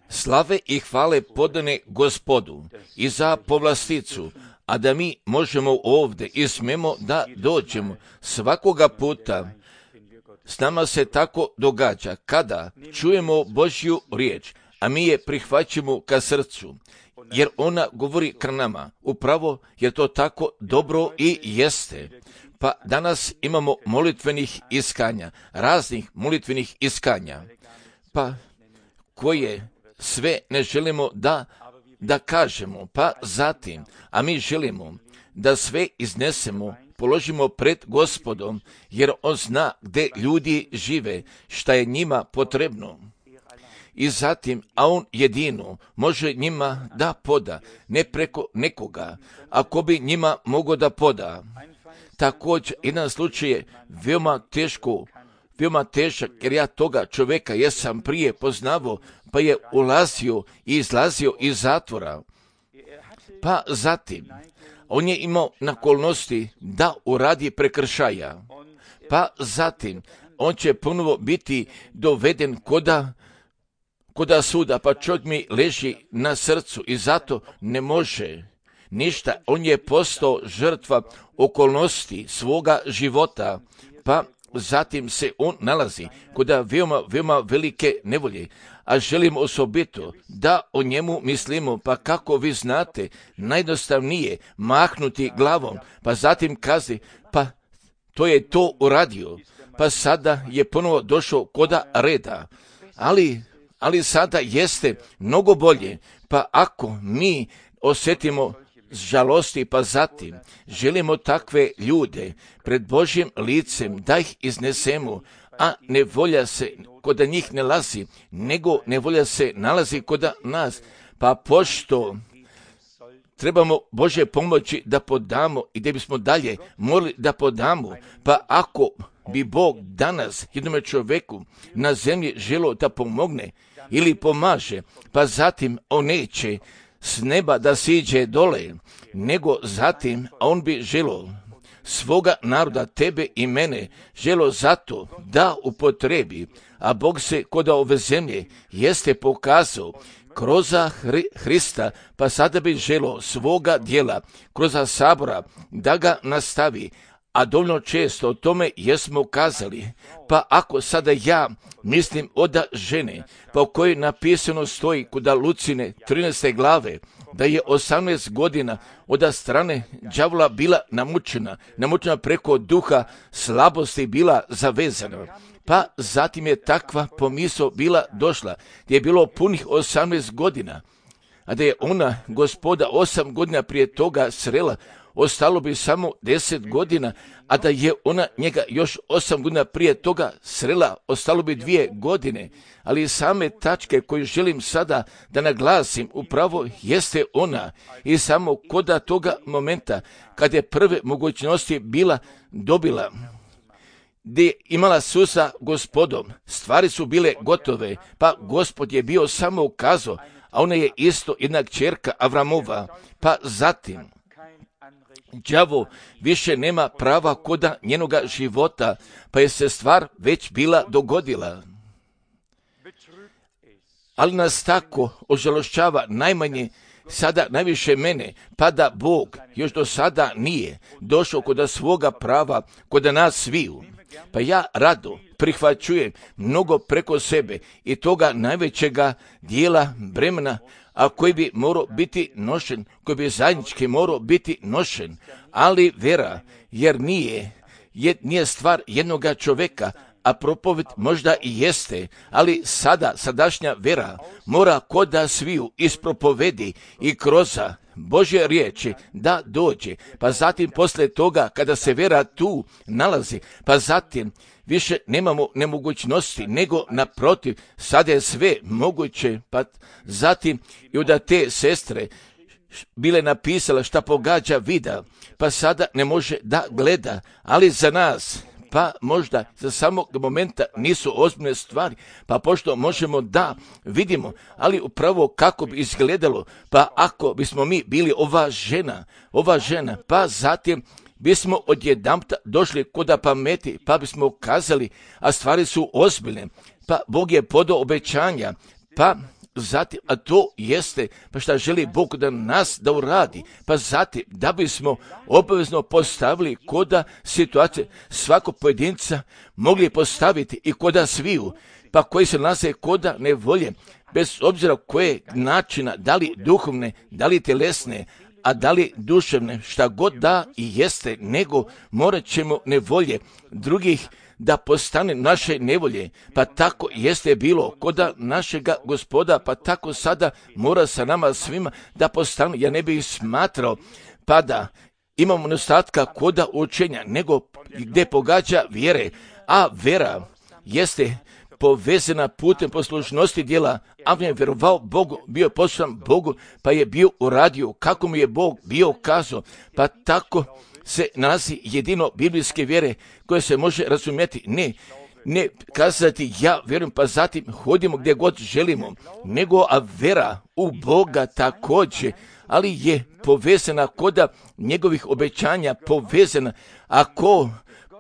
slave i hvale podane Gospodu i za povlasticu, a da mi možemo ovdje i smemo da dođemo svakoga puta. S nama se tako događa kada čujemo Božju riječ, a mi je prihvaćamo ka srcu, jer ona govori k nama. Upravo jer to tako dobro i jeste. Pa danas imamo molitvenih iskanja, raznih molitvenih iskanja, pa koje sve ne želimo da kažemo, pa zatim, a mi želimo da sve iznesemo, položimo pred Gospodom, jer On zna gdje ljudi žive, šta je njima potrebno. I zatim, a On jedino može njima da poda, ne preko nekoga, ako bi njima mogo da poda. Također, jedan slučaj je veoma težak, jer ja toga čovjeka jesam prije poznavao, pa je ulazio i izlazio iz zatvora. Pa zatim, on je imao nakolnosti da uradi prekršaja. Pa zatim, on će ponovo biti doveden koda suda, pa čovjek mi leži na srcu i zato ne može ništa. On je postao žrtva okolnosti svoga života, pa zatim se on nalazi kod veoma velike nevolje, a želim osobito da o njemu mislimo, pa kako vi znate, najjednostavnije mahnuti glavom, pa zatim kazi, pa to je to uradio, pa sada je ponovo došao koda reda, ali sada jeste mnogo bolje, pa ako mi osjetimo žalosti, pa zatim želimo takve ljude pred Božjim licem da ih iznesemo, a nevolja se koda njih ne nalazi, nego nevolja se nalazi koda nas, pa pošto trebamo Božje pomoći da podamo i da bismo dalje morali da podamo, pa ako bi Bog danas jednome čovjeku na zemlji želio da pomogne ili pomaže, pa zatim on neće s neba da siđe dole, nego zatim on bi želio svoga naroda, tebe i mene, želio zato da upotrebi, a Bog se kod ove zemlje jeste pokazao kroz Hrista, pa sada bi želio svoga djela kroz sabora da ga nastavi, a dovoljno često o tome jesmo kazali. Pa ako sada ja mislim oda žene, pa u kojoj napisano stoji kod Lucine 13. glave, da je 18 godina od strane đavola bila namučena preko duha slabosti bila zavezana. Pa zatim je takva pomisao bila došla, gdje je bilo punih 18 godina, a da je ona Gospoda 8 godina prije toga srela, ostalo bi samo 10 godina, a da je ona njega još 8 godina prije toga srela, ostalo bi 2 godine. Ali same tačke koje želim sada da naglasim upravo jeste ona i samo koda toga momenta kad je prve mogućnosti bila dobila, gdje je imala susa Gospodom, stvari su bile gotove, pa Gospod je bio samo ukazao, a ona je isto jedna kćerka Avramova, pa zatim đavo više nema prava koda njenoga života, pa je se stvar već bila dogodila. Ali nas tako ožalošćava najmanje sada najviše mene, pa da Bog još do sada nije došao kod svoga prava, kod nas sviju. Pa ja rado prihvaćujem mnogo preko sebe i toga najvećega dijela bremena, a koji bi morao biti nošen, koji bi zajednički morao biti nošen, ali vera, jer nije stvar jednoga čovjeka, a propoved možda i jeste, ali sadašnja vera mora koda sviju ispropovedi i kroz Božje riječi da dođe, pa zatim poslije toga kada se vera tu nalazi, pa zatim više nemamo nemogućnosti, nego naprotiv, sada je sve moguće, pa zatim i da te sestre bile napisala šta pogađa vida, pa sada ne može da gleda, ali za nas, pa možda za samog momenta nisu ozbiljne stvari, pa pošto možemo da vidimo, ali upravo kako bi izgledalo, pa ako bismo mi bili ova žena, pa zatim bismo odjedanput došli koda pameti, pa bismo kazali, a stvari su ozbiljne, pa Bog je podao obećanja, pa zatim, a to jeste, pa šta želi Bog da nas da uradi, pa zatim, da bismo obavezno postavili koda situacije svakog pojedinca mogli postaviti i koda sviju, pa koji se nalaze koda nevolje, bez obzira koje načina, da li duhovne, da li tjelesne, a da li duševne, šta god da i jeste, nego morat ćemo nevolje drugih da postane naše nevolje, pa tako jeste bilo koda našega Gospoda, pa tako sada mora sa nama svima da postane. Ja ne bih smatrao pa da imamo nedostatka koda učenja, nego gdje pogađa vjere, a vera jeste povezana putem poslušnosti djela. Avram je vjerovao Bogu, bio je poslušan Bogu, pa je bio uradio kako mu je Bog bio kazao, pa tako se nalazi jedino biblijske vjere koje se može razumjeti. Ne kazati ja vjerujem pa zatim hodimo gdje god želimo, nego a vera u Boga također, ali je povezana koda njegovih obećanja, povezana ako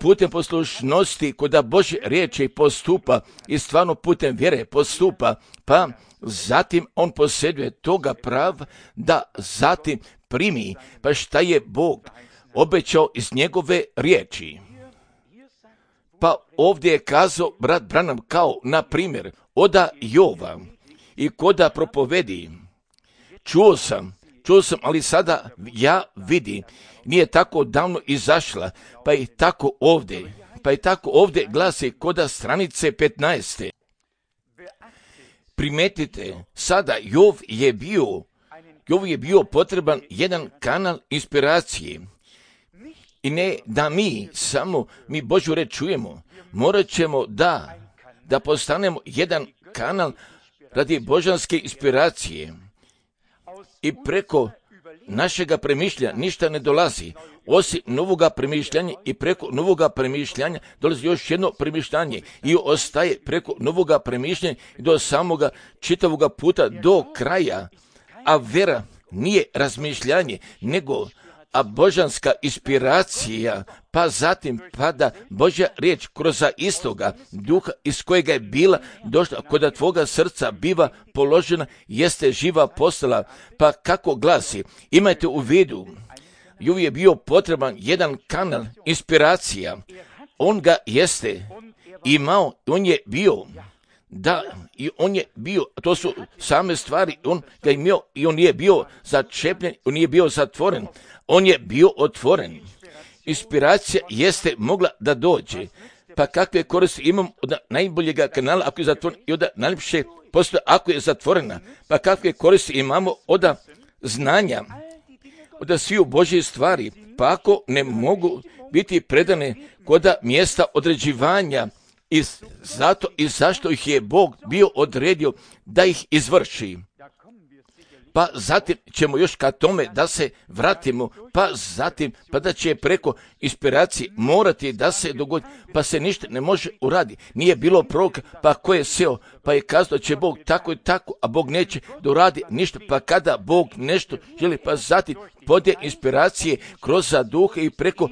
putem poslušnosti koda Božje riječi postupa i stvarno putem vjere postupa, pa zatim on posjeduje toga prava da zatim primi, pa šta je Bog obećao iz njegove riječi. Pa ovdje je kazao brat Branham kao, na primjer, oda Jova i koda propovedi. Čuo sam, ali sada ja vidim, nije tako davno izašla, pa i tako ovdje glasi koda stranice 15. Primetite, sada Jov je bio potreban jedan kanal inspiracije. I ne da mi Božju reč čujemo, morat ćemo da postanemo jedan kanal radi božanske inspiracije. I preko našega premišljanja ništa ne dolazi, osim novoga premišljanja, i preko novoga premišljanja dolazi još jedno premišljanje i ostaje preko novoga premišljanja do samoga čitavoga puta do kraja. A vera nije razmišljanje, nego a božanska inspiracija, pa zatim pada Božja riječ kroz istoga duha iz kojega je bila došla, koda tvoga srca biva položena, jeste živa postala. Pa kako glasi, imajte u vidu, Jov je bio potreban jedan kanal inspiracija, on ga jeste imao, on je bio, to su same stvari, on ga imao i on nije bio začepljen, on nije bio zatvoren, on je bio otvoren. Inspiracija jeste mogla da dođe, pa kakve koristi imam od najboljega kanala ako je zatvoren i od najljepše postoje ako je zatvorena, pa kakve koristi imamo od znanja, od sviju Božje stvari, pa ako ne mogu biti predane kod mjesta određivanja, i zato i zašto ih je Bog bio odredio da ih izvrši. Pa zatim ćemo još ka tome da se vratimo, pa zatim pa da će preko inspiracije morati da se dogodi, pa se ništa ne može uraditi. Nije bilo proroka, pa ko je seo, pa je kazao da će Bog tako i tako, a Bog neće da uradi ništa, pa kada Bog nešto želi, pa zatim podje inspiracije kroz duha i preko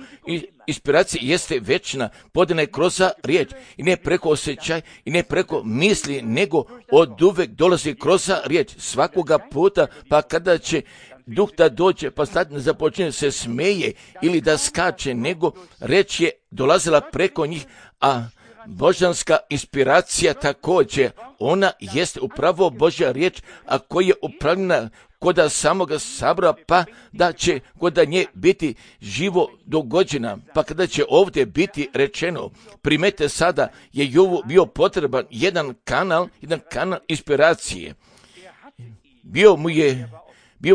inspiracije jeste večna, podjena je kroz riječ i ne preko osjećaj i ne preko misli, nego od uvek dolazi kroz riječ svakoga puta, pa kada će duh da dođe, pa sad ne započinje se smeje ili da skače, nego reč je dolazila preko njih, a božanska inspiracija također, ona jeste upravo Božja riječ, a koja je upravljena koda samoga sabora, pa da će koda nje biti živo dogođena, pa kada će ovdje biti rečeno, primete sada je Jovu bio potreban jedan kanal inspiracije. Bio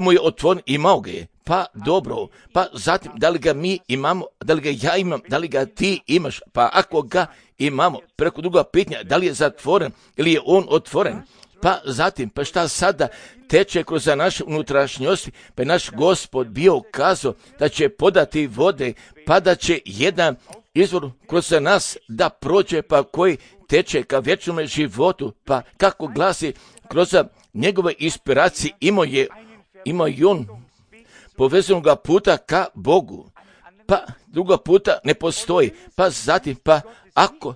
mu je otvoren, imao ga je, pa dobro, pa zatim da li ga mi imamo, da li ga ja imam, da li ga ti imaš, pa ako ga imamo, preko druga pitanja, da li je zatvoren ili je on otvoren, pa zatim, pa šta sada teče kroz naše unutrašnjosti, pa je naš Gospod bio kazao da će podati vode, pa da će jedan izvor kroz nas da prođe, pa koji teče ka vječnome životu, pa kako glasi kroz njegove inspiracije imao je on povezanog puta ka Bogu, pa druga puta ne postoji, pa zatim, pa ako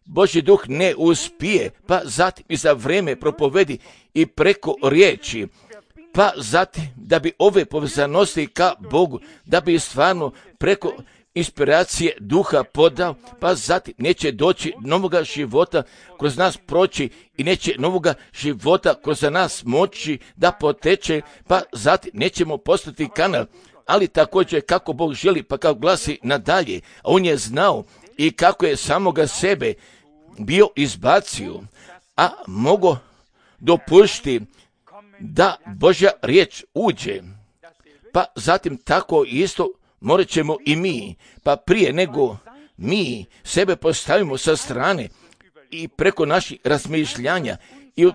Božji duh ne uspije, pa zatim i za vreme propovedi i preko riječi, pa zatim da bi ove povezanosti ka Bogu, da bi stvarno preko inspiracije duha podao, pa zatim neće doći novoga života kroz nas proći i neće novoga života kroz nas moći da poteče, pa zatim nećemo postati kanal, ali također kako Bog želi, pa kao glasi nadalje, on je znao i kako je samoga sebe bio izbacio, a mogo dopušti da Božja riječ uđe, pa zatim tako isto morat ćemo i mi, pa prije nego mi sebe postavimo sa strane i preko naših razmišljanja i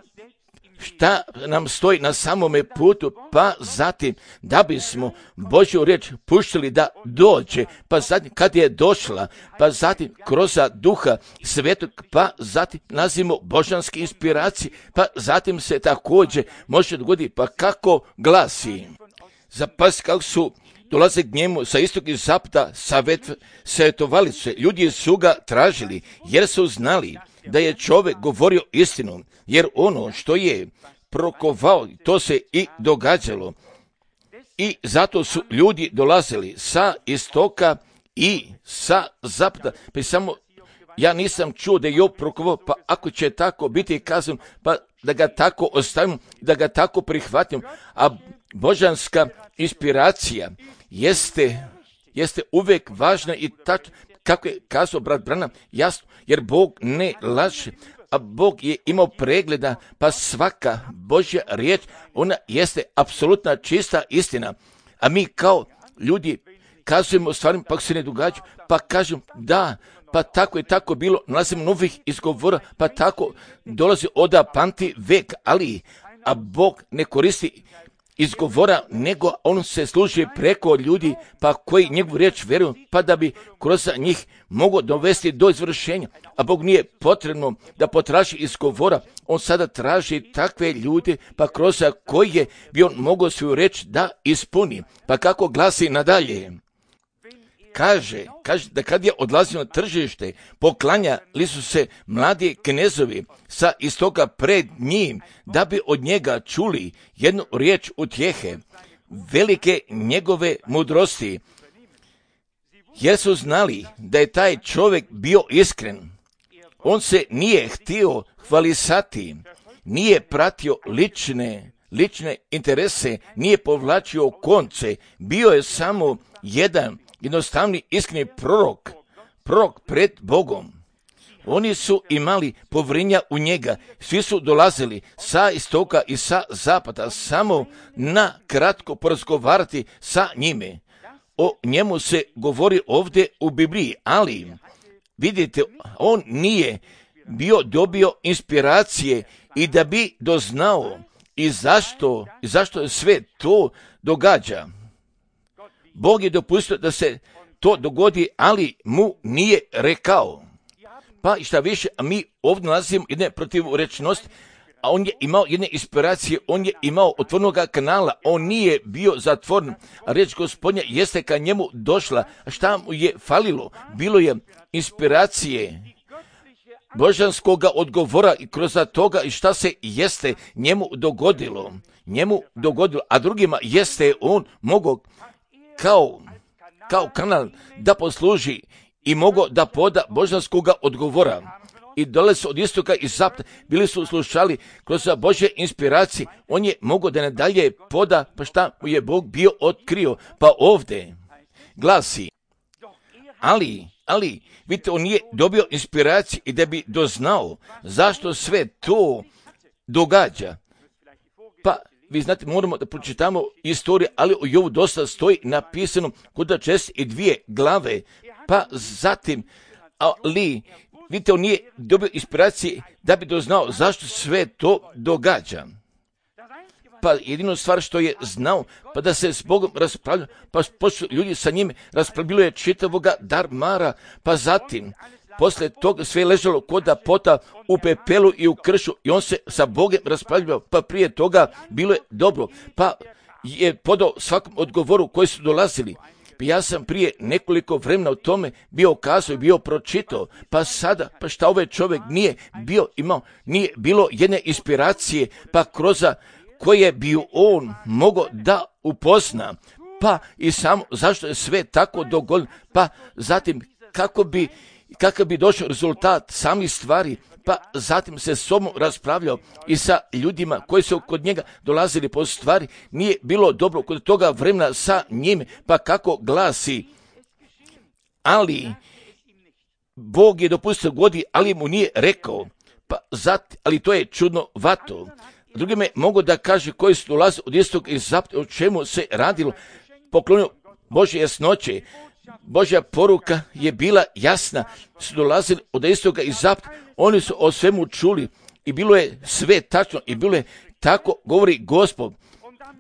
šta nam stoji na samome putu, pa zatim da bismo Božju riječ puštili da dođe, pa zatim kad je došla, pa zatim kroz duha svetog, pa zatim nazivamo božanske inspiracije, pa zatim se također može dogoditi, pa kako glasi. Zapazite kako su dolaze k njemu sa istog i zapada, savjetovali se, ljudi su ga tražili, jer su znali da je čovjek govorio istinu, jer ono što je prokovao, to se i događalo. I zato su ljudi dolazili sa istoka i sa zapada. Pa samo ja nisam čuo da je Job prokovao, pa ako će tako biti kazan, pa da ga tako ostavimo, da ga tako prihvatimo. A božanska inspiracija jeste uvijek važna i tačno, kako je kazao brat Branham, jasno, jer Bog ne laže, a Bog je imao pregleda, pa svaka Božja riječ, ona jeste apsolutna čista istina. A mi kao ljudi kazujemo stvari, pa se ne događa, pa kažem da, pa tako je tako bilo, nalazimo novih izgovora, pa tako dolazi od pamti vek, a Bog ne koristi izgovora, nego on se služi preko ljudi, pa koji njegovu riječ vjeruju, pa da bi kroz njih mogao dovesti do izvršenja. A Bog nije potrebno da potraži izgovora, on sada traži takve ljude, pa kroz koje bi on mogao svoju riječ da ispuni. Pa kako glasi nadalje? Kaže da kad je odlazio na tržište, poklanjali su se mladi knezovi sa istoka pred njim, da bi od njega čuli jednu riječ utjehe, velike njegove mudrosti, jer su znali da je taj čovjek bio iskren. On se nije htio hvalisati, nije pratio lične interese, nije povlačio konce, bio je samo jedan jednostavni iskreni prorok pred Bogom. Oni su imali povjerenja u njega, svi su dolazili sa istoka i sa zapada samo na kratko porazgovarati sa njime. O njemu se govori ovdje u Bibliji, ali vidite, on nije dobio inspiracije i da bi doznao i zašto je sve to događa. Bog je dopustio da se to dogodi, ali mu nije rekao. Pa i šta više, a mi ovdje nalazimo jedne protivrečnosti, a on je imao jedne inspiracije, on je imao otvorenoga kanala, on nije bio zatvoren. A riječ Gospodnja jeste ka njemu došla. A šta mu je falilo? Bilo je inspiracije božanskoga odgovora i kroz toga i šta se jeste njemu dogodilo, a drugima jeste on mogao kao kanal da posluži i mogao da poda božanskoga odgovora. I dole su od istoka i zapada, bili su slušali kroz Božje inspiracije, on je mogao da nadalje poda, pa šta mu je Bog bio otkrio. Pa ovdje glasi, ali, vidite, on nije dobio inspiraciju i da bi doznao zašto sve to događa. Pa vi znate, moramo da pročitamo istoriju, ali o Jobu dosta stoji napisano kod 62 glave, pa zatim, ali, vidite, on nije dobio inspiracije da bi doznao zašto sve to događa. Pa jedino stvar što je znao, pa da se s Bogom raspravlja, pa počnu ljudi sa njim raspravljaju čitavoga darmara, pa zatim, poslije toga sve je ležalo kod pota u pepelu i u kršu i on se sa Bogom raspravljao, pa prije toga bilo je dobro, pa je podao svakom odgovoru koji su dolazili, Pa ja sam prije nekoliko vremena o tome bio kazao i bio pročitao, pa sada, pa šta ovaj čovjek nije bilo jedne inspiracije, pa kroz koje bi on mogao da upozna, pa i samo zašto je sve tako dogodilo, pa zatim kakav bi došao rezultat samih stvari, pa zatim se s sobom raspravljao i sa ljudima koji su kod njega dolazili po stvari, nije bilo dobro kod toga vremena sa njim, pa kako glasi, ali Bog je dopustio godi, ali mu nije rekao, pa ali to je čudnovato. Drugime mogu da kaže koji su dolazili od istog i zapada, o čemu se radilo, poklonio Božje jasnoće. Božja poruka je bila jasna, su dolazili od istoga i zapada, oni su o svemu čuli i bilo je sve tačno i bilo je tako, govori Gospod,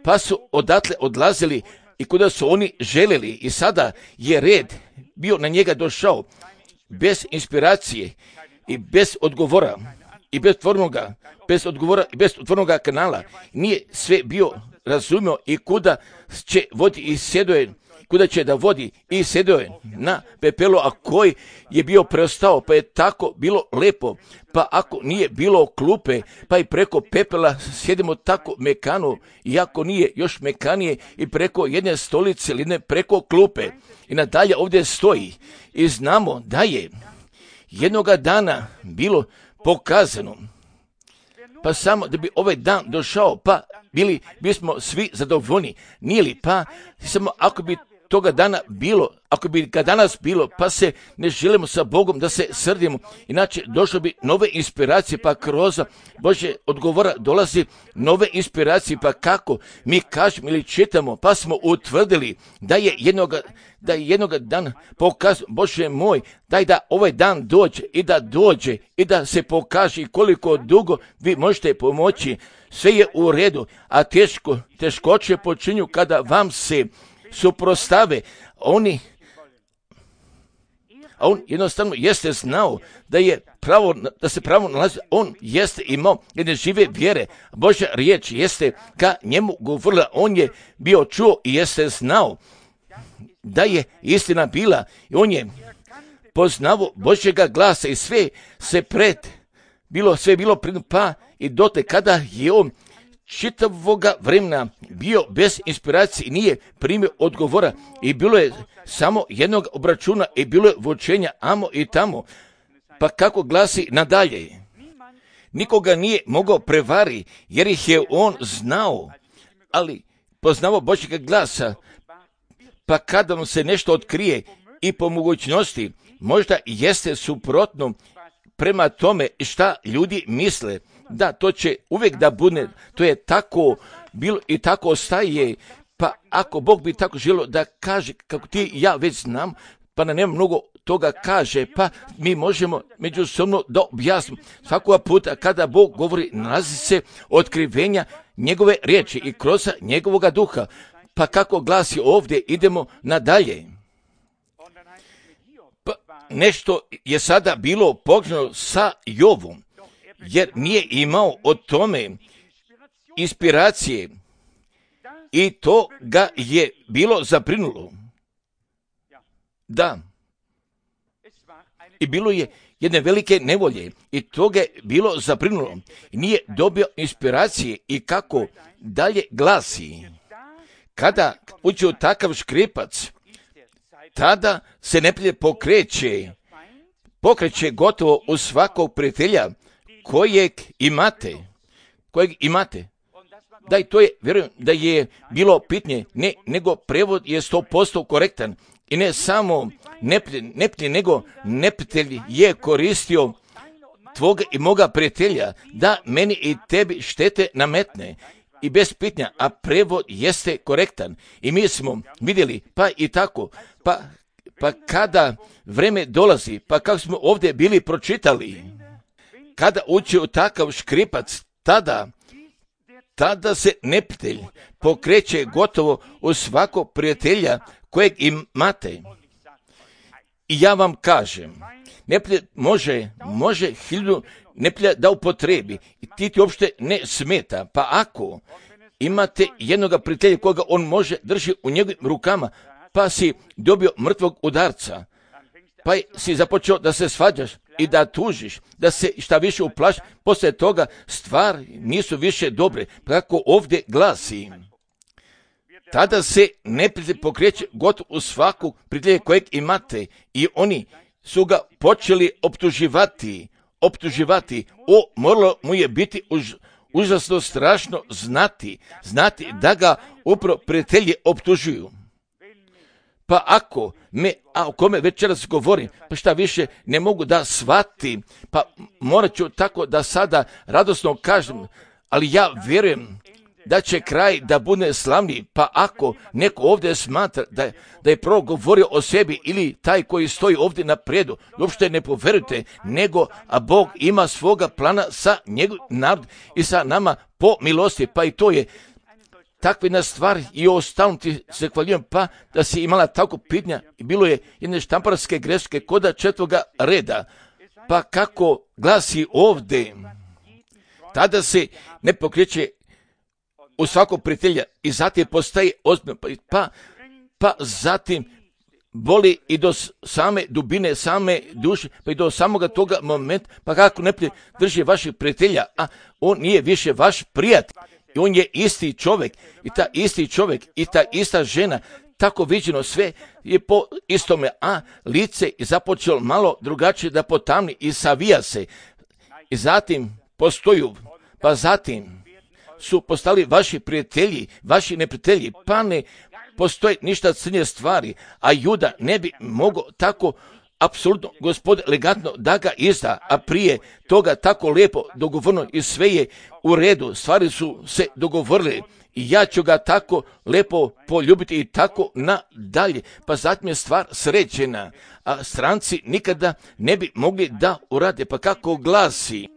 pa su odatle odlazili i kuda su oni željeli i sada je red bio na njega došao, bez inspiracije i bez odgovora i bez otvornoga kanala, nije sve bio razumio i kuda će vodi i sjedoje, kuda će da vodi i sjedio je na pepelu, a koji je bio preostao, pa je tako bilo lepo, pa ako nije bilo klupe, pa i preko pepela sjedimo tako mekano, iako nije još mekanije i preko jedne stolice ili ne preko klupe i nadalje ovdje stoji i znamo da je jednoga dana bilo pokazano, pa samo da bi ovaj dan došao, pa bismo svi zadovoljni, nije li, pa samo ako bi toga dana bilo, ako bi ga danas bilo, pa se ne želimo sa Bogom da se srdimo, inače došlo bi nove inspiracije, pa kroz Božje odgovora dolazi nove inspiracije, pa kako mi kažemo ili čitamo, pa smo utvrdili da je jednoga dana pokazano, Bože moj, daj da ovaj dan dođe i da se pokaže i koliko dugo vi možete pomoći, sve je u redu, a teškoće počinju kada vam se suprostave, a on jednostavno jeste znao da se pravo nalazi, on jeste imao jedne žive vjere, Božja riječ jeste ka njemu govorila, on je bio čuo i jeste znao da je istina bila i on je poznavao Božjega glasa i sve bilo pred, pa i dotle kada je on čitavoga vremena bio bez inspiracije i nije primio odgovora i bilo je samo jednog obračuna i bilo je vučenja amo i tamo, pa kako glasi nadalje, nikoga nije mogao prevari jer ih je on znao, ali poznavao Božjega glasa, pa kada mu se nešto otkrije i po mogućnosti možda jeste suprotno prema tome šta ljudi misle, da to će uvijek da bude, to je tako bilo i tako ostaje, pa ako Bog bi tako želio da kaže, kako ti i ja već znam, pa nam nema mnogo toga kaže, pa mi možemo međusobno da objasnimo. Svakoga puta kada Bog govori, nalazi se otkrivenja njegove riječi i kroz njegovoga duha, pa kako glasi ovdje, idemo nadalje. Pa nešto je sada bilo pogledano sa Jovom, jer nije imao o tome inspiracije i to ga je bilo zabrinulo. Da. I bilo je jedne velike nevolje i to ga je bilo zabrinulo. I nije dobio inspiracije i kako dalje glasi. Kada uđe u takav škripac, tada se neprijatelj pokreće gotovo u svakog prijatelja kojeg imate. Da i to je, vjerujem da je bilo pitanje, ne, nego prevod je 100% korektan i ne samo neprijatelj, nego neprijatelj je koristio tvoga i moga prijatelja da meni i tebi štete nametne i bez pitanja, a prevod jeste korektan i mi smo vidjeli, pa i tako, pa kada vreme dolazi, pa kako smo ovdje bili pročitali, kada uđe u takav škripac, tada se neprijatelj pokreće gotovo u svakog prijatelja kojeg imate. I ja vam kažem, neprijatelj može 1000 neprijatelja da upotrebi i ti uopšte ne smeta, pa ako imate jednoga prijatelja koga on može drži u njegovim rukama, pa si dobio mrtvog udarca, pa si započeo da se svađaš i da tužiš, da se šta više uplaši, poslije toga stvari nisu više dobre, kako ovdje glasi. Tada se neprijatelj pokreće gotovo u svaku prijatelja kojeg imate i oni su ga počeli optuživati. Moralo mu je biti užasno strašno znati da ga upravo prijatelji optužuju. Pa ako o kome večeras govorim, pa šta više ne mogu da shvatim, pa morat ću tako da sada radosno kažem, ali ja vjerujem da će kraj da bude slavniji, pa ako neko ovdje smatra da je prvo govorio o sebi ili taj koji stoji ovdje na predu, uopšte ne poverujte, a Bog ima svoga plana sa njegovim narodom i sa nama po milosti, pa i to je takva jedna stvar i ostalom ti se hvaljujem, pa da si imala tako pitanja i bilo je jedne štamparske greške koda 4. reda, pa kako glasi ovdje, tada se ne pokreće u svakog prijatelja i zatim postaje ozbiljno, pa zatim boli i do same dubine, same duše, pa i do samoga toga momenta, pa kako neprijatelj drži vaših prijatelja, a on nije više vaš prijatelj. I on je isti čovjek i ta ista žena, tako viđeno sve je po istome, a lice je započelo malo drugačije da potamni i savija se. I zatim postoju, pa zatim su postali vaši prijatelji, vaši neprijatelji, pa ne postoje ništa crnje stvari, a Juda ne bi mogao tako apsolutno Gospod elegantno da ga izda, a prije toga tako lijepo dogovorno i sve je u redu, stvari su se dogovorile i ja ću ga tako lijepo poljubiti i tako nadalje, pa zatim je stvar sređena, a stranci nikada ne bi mogli da urade, pa kako glasi,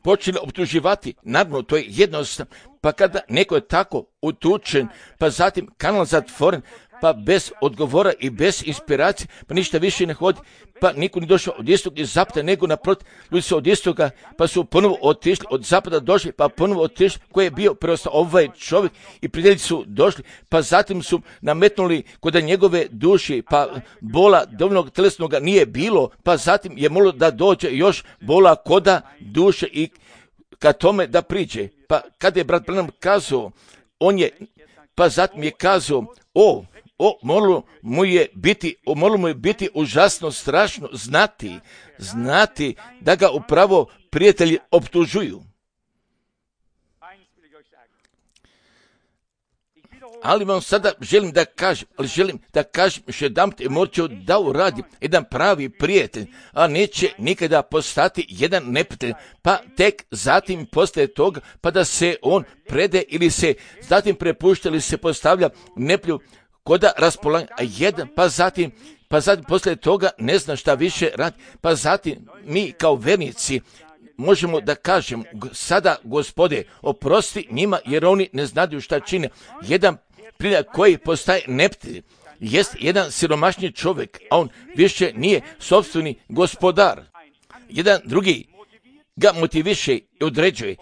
počeli optuživati, naravno to je jednostavno, pa kada neko je tako utučen, pa zatim kanal zatvoren, pa bez odgovora i bez inspiracije, pa ništa više ne hodi, pa niko nije došao od istog iz zapada, nego naprotiv, ljudi su od istoga, pa su ponovo otišli, od zapada došli, pa ponovo otišli, koji je bio preostao ovaj čovjek i prijatelji su došli, pa zatim su nametnuli kod njegove duši, pa bola dovoljnog telesnoga nije bilo, pa zatim je moglo da dođe još bola koda duše i ka tome da priđe. Pa kada je brat Branham kazao, pa zatim je kazao, moralo mu je biti užasno strašno znati da ga upravo prijatelji optužuju. Ali vam sada želim da kažem još jedanput i morat ću da uradim jedan pravi prijatelj, a neće nikada postati jedan neprijatelj, pa tek zatim postaje toga, pa da se on prede ili se zatim prepušta ili se postavlja neplju koda raspolaganja, a jedan, pa zatim poslije toga ne zna šta više radi, pa zatim mi kao vernici možemo da kažemo, sada Gospode, oprosti njima jer oni ne znaju šta čine. Jedan prilaz koji postaje neprijatelj jest jedan siromašni čovjek, a on više nije sopstveni gospodar. Jedan drugi ga motiviše i određuje.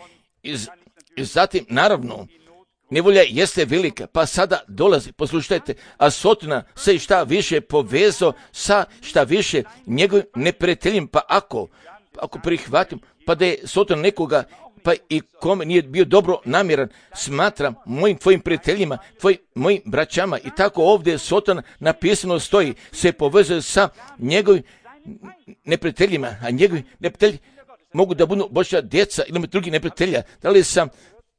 I zatim, naravno, nevolja jeste velika, pa sada dolazi, poslušajte, a Sotona se šta više povezao sa šta više njegovim neprijateljem, pa ako prihvatim, pa da je Soton nekoga, pa i kome nije bio dobro namjeran, smatram mojim tvojim prijateljima, mojim braćama i tako ovdje Soton napisano stoji, se povezuje sa njegovim neprijateljima, a njegovi neprijatelji mogu da budu Božja djeca ili drugi neprijatelja. Da li sam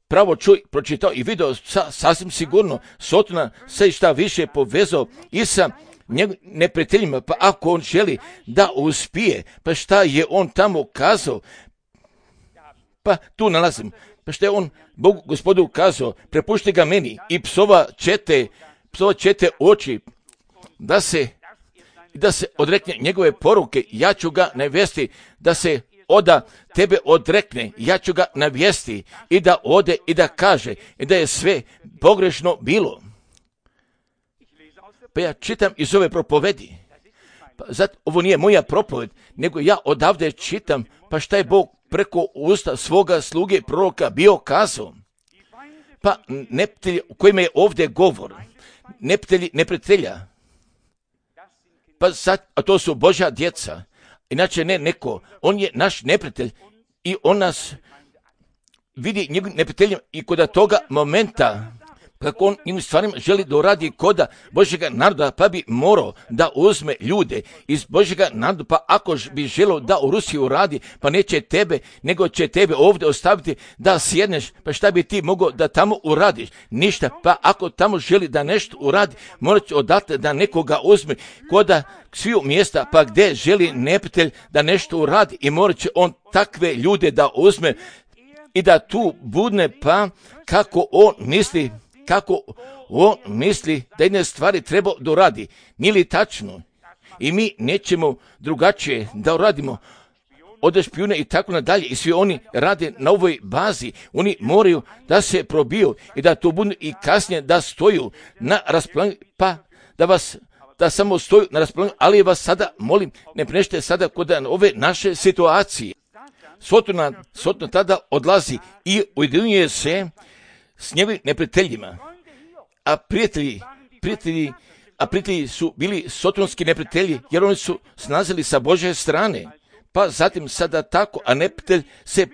pravo pročitao i video sasvim sigurno Sotona se šta više povezao i sa neprijateljima, pa ako on želi da uspije, pa šta je on tamo kazao, pa tu nalazim, pa šta je on Bogu Gospodu kazao, prepušti ga meni i psova čete oči, da se odrekne njegove poruke, ja ću ga navesti da se tebe odrekne, ja ću ga navesti i da ode i da kaže i da je sve pogrešno bilo. Pa ja čitam iz ove propovedi. Pa zato ovo nije moja propoved, nego ja odavde čitam, pa šta je Bog preko usta svoga sluge proroka bio kazao. Pa neprijatelji o kojima je ovdje govor, neprijatelji neprijatelja, pa sad, a to su Božja djeca. Inače ne neko, on je naš neprijatelj i on nas vidi njegovim neprijateljem i kod toga momenta kako on njim stvarima želi da uradi koda Božjega naroda, pa bi morao da uzme ljude iz Božjega naroda, pa ako bi želio da u Rusiji uradi, pa neće tebe, nego će tebe ovdje ostaviti da sjedneš, pa šta bi ti mogao da tamo uradiš? Ništa, pa ako tamo želi da nešto uradi, morat će odatle da nekoga uzme koda sviju mjesta, pa gdje želi neprijatelj da nešto uradi i morat će on takve ljude da uzme i da tu budne, pa kako on misli da jedne stvari treba da uradi. Nije li tačno? I mi nećemo drugačije da uradimo od špijuna i tako nadalje. I svi oni rade na ovoj bazi. Oni moraju da se probiju i da to budu i kasnije da stoju na raspolaganju, pa da samo stoju na raspolaganju, ali vas sada molim, ne prenešte sada kod ove naše situacije. Sotona tada odlazi i ujedinjuje se s njegovim neprijateljima, a prijatelji su bili sotonski neprijatelji, jer oni su snazili sa Božje strane, pa zatim sada tako, a neprijatelj se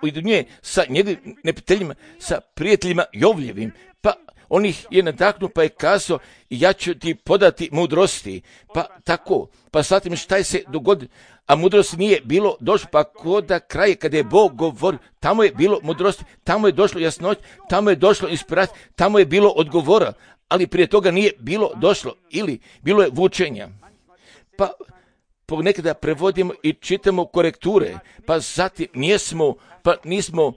ujedinjuje sa njegovim neprijateljima, sa prijateljima Jovljevim, pa on ih je nadahnuo, pa je kazao, ja ću ti podati mudrosti, pa tako, pa zatim šta se dogodi, a mudrosti nije bilo došlo, pa koda kraje kada je Bog govorio, tamo je bilo mudrosti, tamo je došlo jasnoć, tamo je došlo inspiracija, tamo je bilo odgovora, ali prije toga nije bilo došlo, ili bilo je vučenja. Pa ponekada prevodimo i čitamo korekture, pa zatim nismo,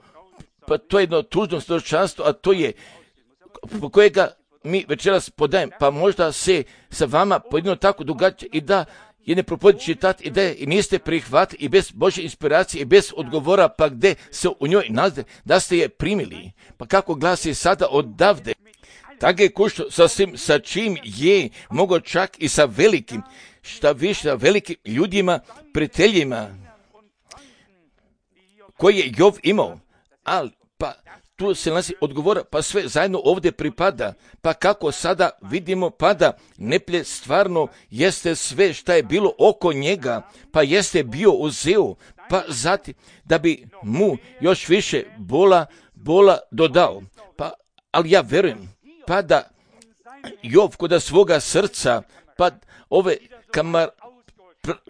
pa to je jedno tužno svjedočanstvo, a to je po kojega mi večeras podajem, pa možda se sa vama pojedino tako događa i da je ne propodi čitati i da i niste prihvatili i bez Božje inspiracije i bez odgovora, pa gdje se u njoj nalazi, da ste je primili. Pa kako glasi sada odavde, tako je kušto sa svim, sa čim je mogo čak i sa velikim, šta više sa velikim ljudima, prijateljima koji je Jov imao, ali pa tu se nalazi odgovora, pa sve zajedno ovdje pripada, pa kako sada vidimo, pada neplje stvarno jeste sve šta je bilo oko njega, pa jeste bio uzeo, pa zatim da bi mu još više bola dodao, pa ali ja verujem, pa da Jov kod svoga srca, pa ove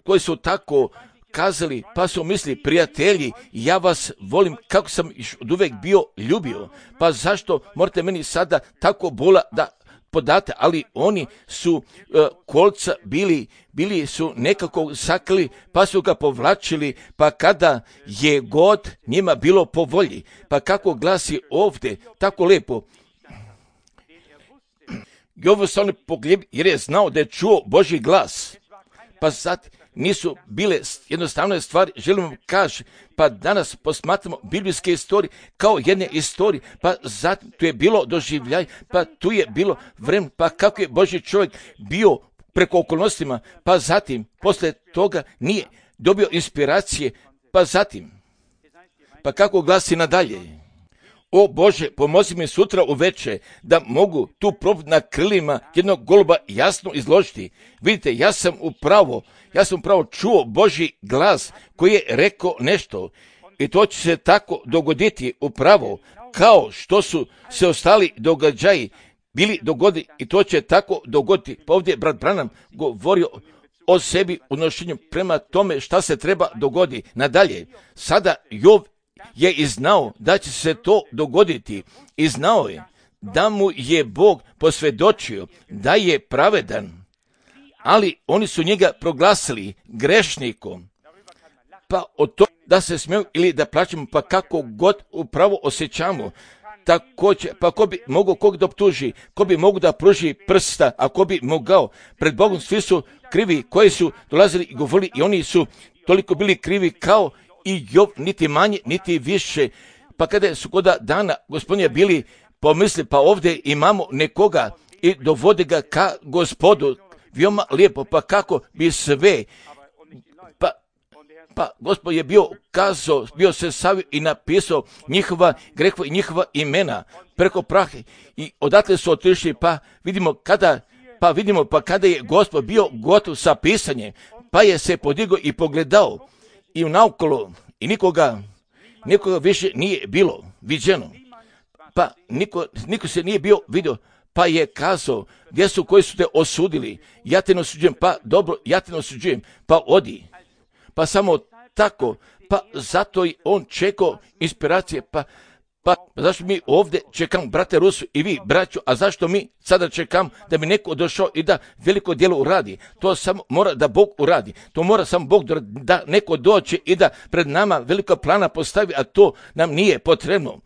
koji su tako kazali, pa su misli, prijatelji, ja vas volim kako sam od uvek bio ljubio, pa zašto morate meni sada tako bola da podate, ali oni su kolca bili su nekako sakrili, pa su ga povlačili, pa kada je god njima bilo po volji, pa kako glasi ovdje, tako lepo, Jov se on pogljubio jer je znao da je čuo Božji glas, pa sad nisu bile jednostavne stvari, želim vam kaži, pa danas posmatramo biblijske istorije kao jedne istorije, pa zatim tu je bilo doživljaj, pa tu je bilo vreme, pa kako je Božji čovjek bio preko okolnostima, pa zatim, posle toga nije dobio inspiracije, pa zatim, pa kako glasi nadalje, o Bože, pomozi mi sutra uveče da mogu tu propovijed na krilima jednog goluba jasno izložiti. Vidite, ja sam upravo čuo Božji glas koji je rekao nešto i to će se tako dogoditi upravo kao što su se ostali događaji bili dogoditi i to će tako dogoditi. Pa ovdje brat Branham govorio o sebi u nošenju prema tome šta se treba dogoditi. Nadalje, sada Jov je i znao da će se to dogoditi i znao je da mu je Bog posvjedočio da je pravedan, ali oni su njega proglasili grešnikom, pa od toga da se smiju ili da plaćamo, pa kako god upravo osjećamo, također, pa ko bi mogao kog da optuži, ko bi mogao da pruži prsta, a ko bi mogao, pred Bogom svi su krivi koji su dolazili i govorili i oni su toliko bili krivi kao i Jov, niti manje, niti više. Pa kada su koda dana gospodinja bili pomisli, pa ovdje imamo nekoga i dovode ga ka Gospodu, veoma lijepo, pa kako bi sve, pa Gospod je bio se savio i napisao njihova grehova i njihova imena preko prahe i odatle su otišli, pa vidimo kada Pa vidimo, pa kada je Gospod bio gotov sa pisanjem, pa je se podigao i pogledao i naokolo i nikoga više nije bilo viđeno. Pa niko se nije bio vidio, pa je kazao, gdje su koji su te osudili? Ja te ne osuđujem, pa dobro, ja te ne osuđujem, pa odi. Pa samo tako, pa zato i on čekao inspiracije, pa zašto mi ovdje čekamo, brate Rusu i vi, braću, a zašto mi sada čekamo da bi neko došao i da veliko djelo uradi? To samo mora da Bog uradi. To mora samo Bog da neko dođe i da pred nama velika plana postavi, a to nam nije potrebno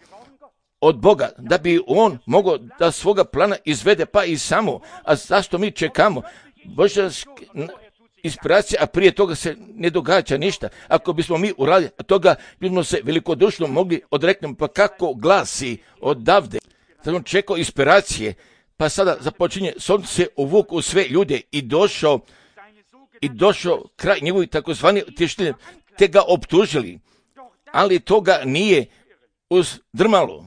od Boga, da bi on mogao da svoga plana izvede, pa i samo. A zašto mi čekamo? Božja inspiracija, a prije toga se ne događa ništa. Ako bismo mi uradili toga, bismo se velikodušno mogli odreknuti. Pa kako glasi odavde? Sad on čekao inspiracije, pa sada započinje, sunce se uvuku u sve ljude i došao kraj njegovi takozvani utješitelji, te ga optužili, ali toga nije uzdrmalo.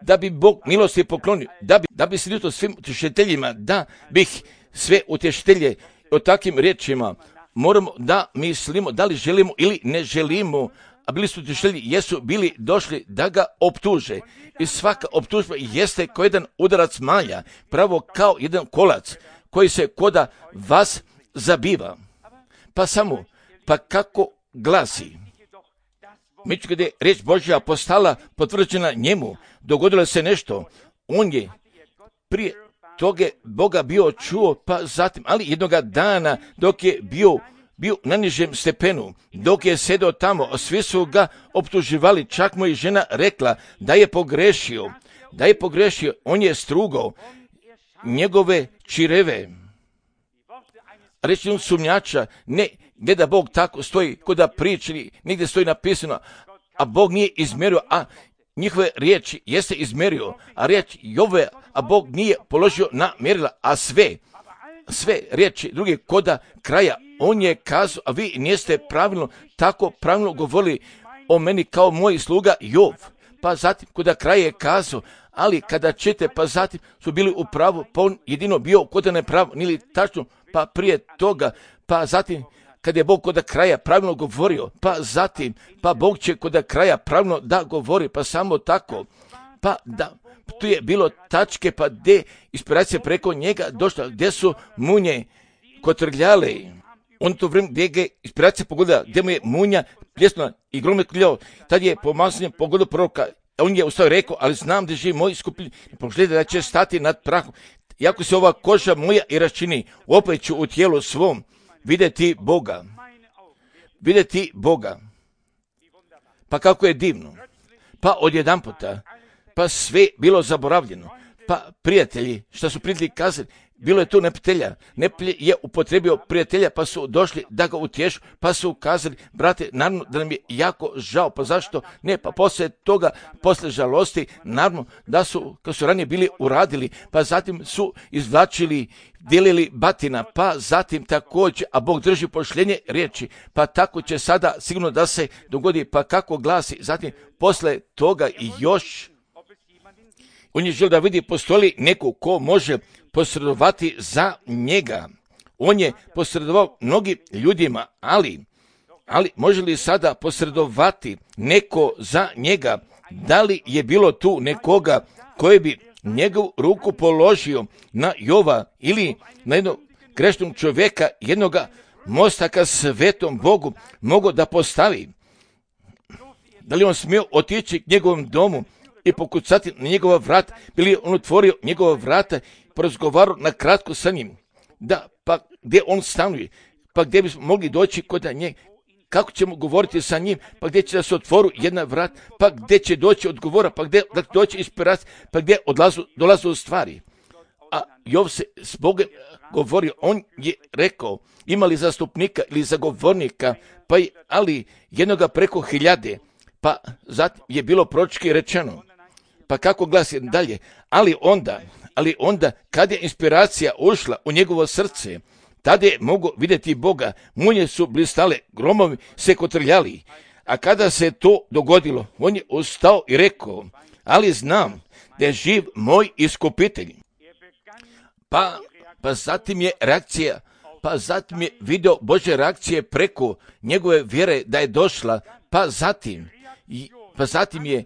Da bi Bog milosti poklonio, da bi se ljutio svim utješiteljima, da bih sve utješitelje o takvim riječima moramo da mislimo da li želimo ili ne želimo, a bili su utješitelji, jesu bili došli da ga optuže. I svaka optužba jeste kao jedan udarac malja, pravo kao jedan kolac koji se koda vas zabiva. Pa kako glasi? Međutim, kada je riječ Božja postala potvrđena njemu, dogodilo se nešto. On je prije toga Boga bio čuo, pa zatim, ali jednoga dana dok je bio na nižem stepenu, dok je sedao tamo, svi su ga optuživali, čak mu je žena rekla da je pogrešio, on je strugao njegove čireve. Reći sumnjača, ne da Bog tako stoji kod da priči, nigdje stoji napisano, a Bog nije izmjerio, a njihove riječi jeste izmjerio, a riječ Jove, a Bog nije položio na mjerila, a sve riječi druge koda kraja, on je kazao, a vi niste tako pravilno govorili o meni kao moj sluga Jov. Pa zatim koda kraja je kazao, ali kada ćete, pa zatim su bili u pravu, pa on jedino bio koda ne pravo, nili tačno, pa prije toga, pa zatim kad je Bog koda kraja pravilno govorio, pa zatim, pa Bog će koda kraja pravilno da govori, pa samo tako, pa da, tu je bilo tačke, pa gdje inspiracija preko njega došla, gdje su munje kotrljale, on to vrijeme gdje je inspiracija pogodila, gdje mu je munja pljesnula i grome kljao, tad je pomazanje pogodio proroka, on je ustao rekao, ali znam da živi moj skupin, pogledaj da će stati nad prahom, iako se ova koža moja i raščini, opet ću u tijelu svom vidjeti Boga. Pa kako je divno. Pa odjedanputa, pa sve bilo zaboravljeno. Pa prijatelji, što su prijatelji kazali, bilo je tu neprijatelja. Neprijatelj je upotrebio prijatelja, pa su došli da ga utješu, pa su kazali, brate, naravno da nam je jako žao, pa zašto ne, pa poslije toga, poslije žalosti, naravno da su, kad su ranije bili uradili, pa zatim su izvlačili, dijelili batina, pa zatim također, a Bog drži pošljenje riječi, pa tako će sada sigurno da se dogodi, pa kako glasi, zatim poslije toga i još, on je želio da vidi postoji li neko ko može posredovati za njega. On je posredovao mnogim ljudima, ali može li sada posredovati neko za njega? Da li je bilo tu nekoga koji bi njegovu ruku položio na Jova ili na jednog grešnog čovjeka, jednoga mosta ka svetom Bogu mogao da postavi? Da li on smio otići k njegovom domu i pokucati na njegova vrata, bili on otvorio njegova vrata, porazgovarao na kratko sa njim, da, pa gdje on stanuje, pa gdje bismo mogli doći kod njega, kako ćemo govoriti sa njim, pa gdje će da se otvoru jedna vrata, pa gdje će doći odgovora, pa gdje da doći inspiracija, pa gdje dolaze u stvari. A Jov se s Bogom govorio, on je rekao, imali zastupnika ili zagovornika, ali jednoga preko 1000, pa zatim je bilo proročki rečeno. Pa kako glasi dalje? Ali onda, kad je inspiracija ušla u njegovo srce, tada je mogao vidjeti Boga, munje su blistale, gromovi se kotrljali. A kada se to dogodilo, on je ustao i rekao, ali znam da je živ moj iskupitelj. Pa pa zatim je reakcija, pa zatim je video Božje reakcije preko njegove vjere da je došla, pa zatim je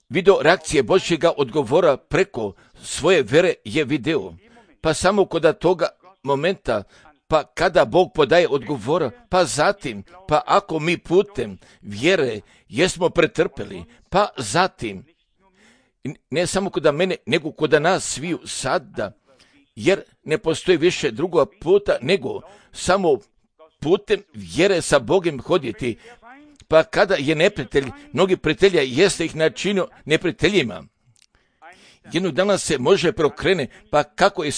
video reakcije Božjega odgovora preko svoje vjere je video. Pa samo kod toga momenta, pa kada Bog podaje odgovora, pa zatim, pa ako mi putem vjere jesmo pretrpeli, pa zatim, ne samo kod mene, nego kod nas sviju sada, jer ne postoji više drugoga puta, nego samo putem vjere sa Bogom hoditi. Pa kada je neprijatelj, mnogi prijatelja jeste ih načinio neprijateljima. Jednog dana se može preokrene, pa kako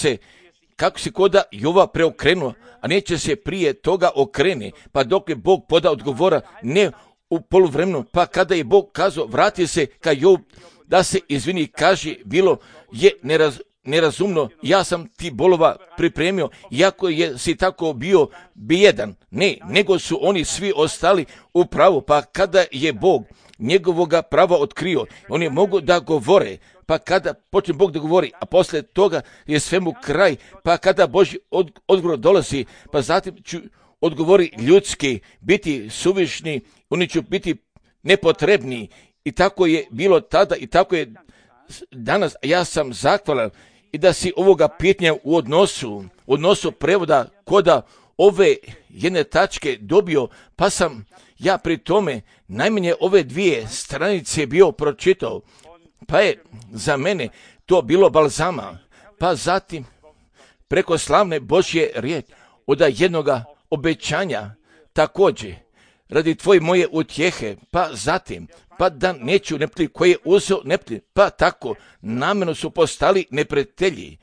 se koda Jova preokrenuo, a neće se prije toga okrene, pa dok je Bog poda odgovora, ne u poluvremenu, pa kada je Bog kazao, vrati se ka Jov, da se izvini, kaže, bilo je nerazumno, ja sam ti bolova pripremio, iako si tako bio bijedan. Ne, nego su oni svi ostali u pravu, pa kada je Bog njegovoga prava otkrio, oni mogu da govore, pa kada počne Bog da govori, a poslije toga je svemu kraj, pa kada Božji odgovor dolazi, pa zatim ću odgovori ljudski, biti suvišni, oni će biti nepotrebni. I tako je bilo tada i tako je danas. Ja sam zahvalan i da si ovoga pitanja u odnosu prevoda koda ove jedne tačke dobio, pa sam ja pri tome najmanje ove 2 stranice bio pročitao, pa je za mene to bilo balzama, pa zatim preko slavne Božje riječi od jednoga obećanja također radi tvoje moje utjehe, pa zatim pa da neću neprijatelji koji je uzeo neprijatelji, pa tako namjerno su postali neprijatelji.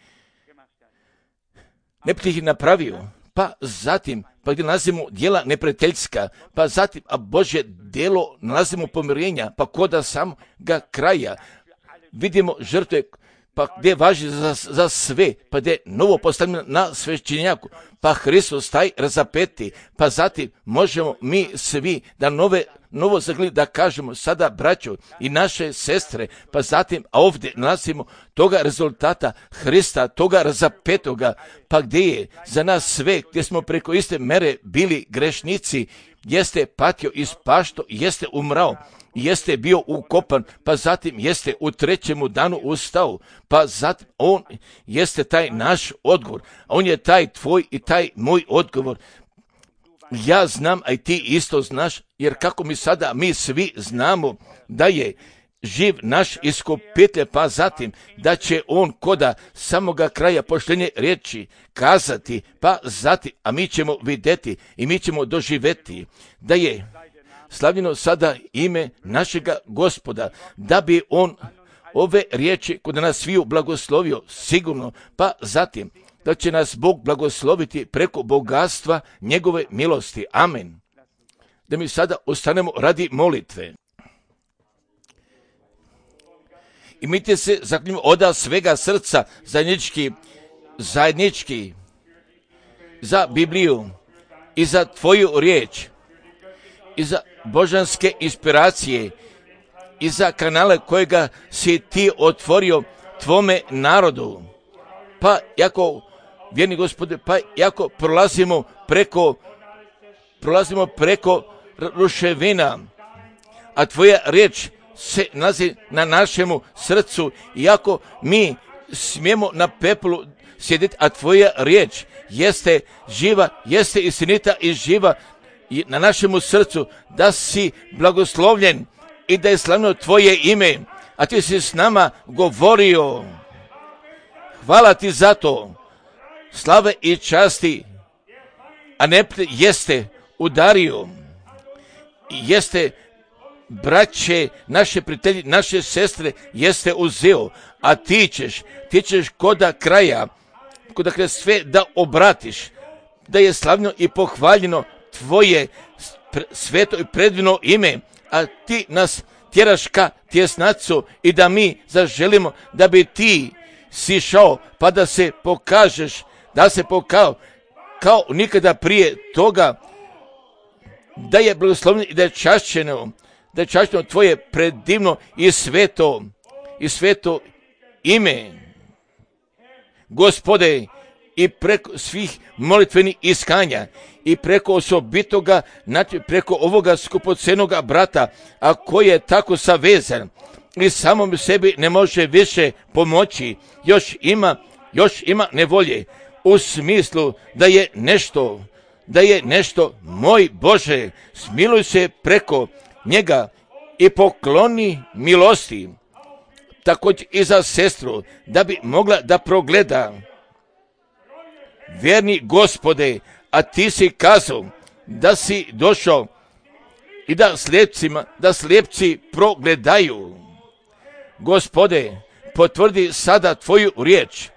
Neprijatelj ih napravio, pa zatim, pa gdje nalazimo djela neprijateljska, pa zatim, a Božje djelo nalazimo pomirenja, pa koda samoga kraja vidimo žrtve, pa gdje važi za sve, pa gdje novo postavljeno na svećenjaku, pa Hristos taj razapeti, pa zatim možemo mi svi da novo zagled da kažemo sada braćo i naše sestre, pa zatim, a ovdje nalazimo toga rezultata Hrista, toga razapetoga, pa gdje je za nas sve, gdje smo preko iste mere bili grešnici, jeste patio i spašto, jeste umrao, jeste bio ukopan, pa zatim jeste u 3. danu ustao, pa zatim on jeste taj naš odgovor, a on je taj tvoj i taj moj odgovor. Ja znam, a i ti isto znaš, jer kako mi svi znamo da je živ naš iskupitelj, pa zatim da će on koda samoga kraja poštenje riječi kazati, pa zatim, a mi ćemo vidjeti i mi ćemo doživjeti da je slavljeno sada ime našega Gospoda, da bi on ove riječi kod nas sviju blagoslovio sigurno, pa zatim da će nas Bog blagosloviti preko bogatstva njegove milosti. Amen. Da mi sada ostanemo radi molitve. I mi te se zaklinjamo od svega srca zajednički za Bibliju i za tvoju riječ i za božanske inspiracije i za kanale kojega si ti otvorio tvome narodu. Pa jako, vjerni Gospode, pa jako prolazimo preko ruševina, a tvoja riječ se nalazi na našemu srcu, iako mi smijemo na pepelu sjediti, a tvoja riječ jeste živa, jeste istinita i živa na našemu srcu, da si blagoslovljen i da je slavno tvoje ime, a ti si s nama govorio. Hvala ti za to, slave i časti, a ne jeste udario, jeste braće, naše prijatelji, naše sestre, jeste uzeo, a ti ćeš koda kraja sve da obratiš, da je slavno i pohvaljeno tvoje sveto i predivno ime, a ti nas tjeraš ka tjesnacu i da mi zaželimo da bi ti sišao, pa da se pokažeš, da se pokao kao nikada prije toga, da je blagosloveno i da je čašćeno tvoje predivno i sveto ime. Gospode, i preko svih molitvenih iskanja i preko osobitoga, znači preko ovoga skupocenoga brata, a koji je tako savezan i samom sebi ne može više pomoći, još ima nevolje u smislu da je nešto, moj Bože, smiluj se preko njega i pokloni milosti, također i za sestru, da bi mogla da progleda. Vjerni Gospode, a ti si kazao da si došao i da slijepci progledaju. Gospode, potvrdi sada tvoju riječ,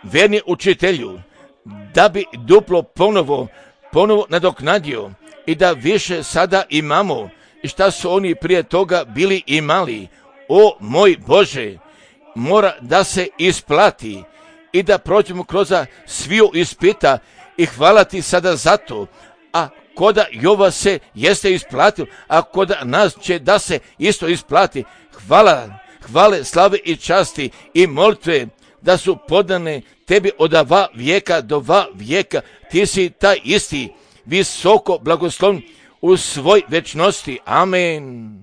vjerni učitelju, da bi duplo ponovo nadoknadio i da više sada imamo i šta su oni prije toga bili imali. O moj Bože, mora da se isplati i da prođemo kroz sviju ispita i hvala ti sada za to. A koda Jova se jeste isplatio, a koda nas će da se isto isplati. Hvale, slave i časti i molitve da su podane tebi od va vijeka do va vijeka. Ti si taj isti, visoko blagoslovn u svoj večnosti. Amen.